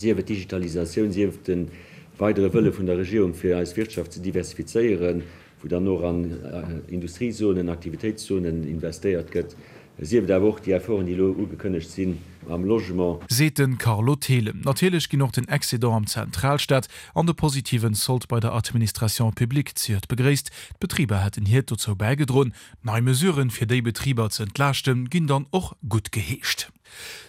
Sief et d'Digitalisatioun, sief et de weidere Wëlle vun der Regierung, fir eis Wirtschaft ze diversifizéieren, wou dann och an Industriezonen, Aktivitéitszonen investéiert gëtt, sief et awer och déi Efforten, déi elo ugekënnegt sinn am Logement. Seet de Carlo Thelen. Natierlech ginn och den Excédent am Zentralstaat an de positiven Sold bei der Administration publique zejoert begréisst. D'Betriber hätten hiert dozou bäigedroen. Nei Mesuren, fir déi Betriber ze entlaaschten, ginn dann och guttgeheescht.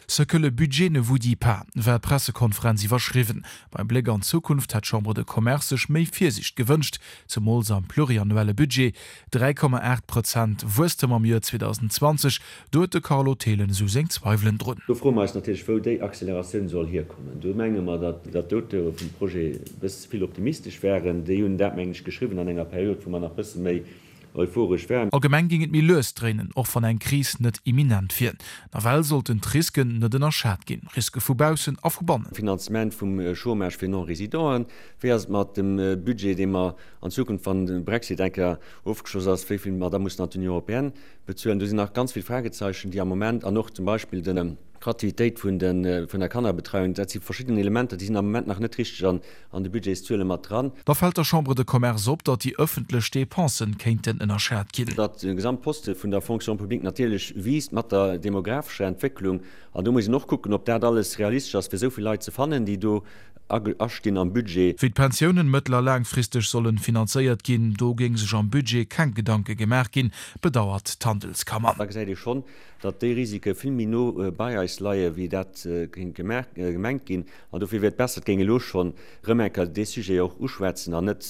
Ce que le budget ne vous dit pas war d'Pressekonferenz iwwerschriwwen. Beim Bléck an d'Zukunft hätt d'Chambre de Commerce sech méi Virsiicht gewënscht, zemools am pluriannuelle Budget. 3,8 Prozent Wuesstem am Joer 2020, do huet de Carlo Thelen esou seng Zweiwelen drun. Do froe mer eis natierlech, wou déi Acceleratioun soll hierkommen. Do menge mer, datt d'Auteure vum Projet e bësse ze vill optimistesch waren. Déi hunn dat, mengen ech, geschriwwen an enger Period, wou mer nach e bësse méi Euphoresch war. Allgemeng géing et méi lues dréinen, och wann eng Kris net imminent wier. Nawell sollten d'Risken net ënnerschat ginn, Riske vu baussen a vu bannen. Finanzement vum Chômage fir Non-Résidenten, Wéi ass et mat dem Budget, dee mer an Zukunft, wann de Brexit eng Kéier ofgeschloss ass, wéi vill mer da mussen an d'Union européenne bezuelen? Do sinn nach ganz vill Fragezeichen, déi am Moment, an och zum Beispill de Gratuitéit vun der Kannerbetreiung, dat si verschidden Elementer, déi sinn am Moment nach net richteg an an de Budgetszuele mat dran. Da fält der Chambre de Commerce op, datt déi ëffentlech Depensen kéinten ënnerschat ginn. Datt de Gesamtposte vun der Fonction publique natierlech wiisst mat der demographescher Entwécklung. An do muss een och kucken, ob dat alles realistesch ass, fir esou vill Leit ze fannen, déi do astinn am Budget. Wéi d'Pensiounen mëttel a laangfristeg sollen finanzéiert ginn, do géing sech am Budget keng Gedanke gemaach ginn, bedauert d'Handelskammer. Da gesäit ee schonn, datt déi Risike vill méi no bei eis leie wéi dat kéint gemengt ginn. An dofir wier et besser, et géing elo schonn erëm eng Kéier dee Sujet och uschwätzen an net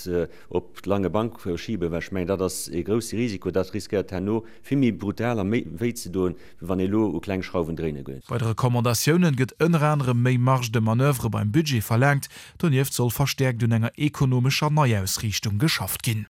op d'lange Bank schiben, well ech mengen, dat ass ee grousse Risiko, dat riskéiert herno vill méi brutal a méi wéi ze doen, wéi wann ee elo u kleng Schrauwen dréine géing. Bei de Recommandatiounen gëtt ënner anerem méi Marge de manoeuvre beim Budget verlaangt. Donieft soll verstäerkt un enger ekonomescher Neiausriichtung geschafft ginn.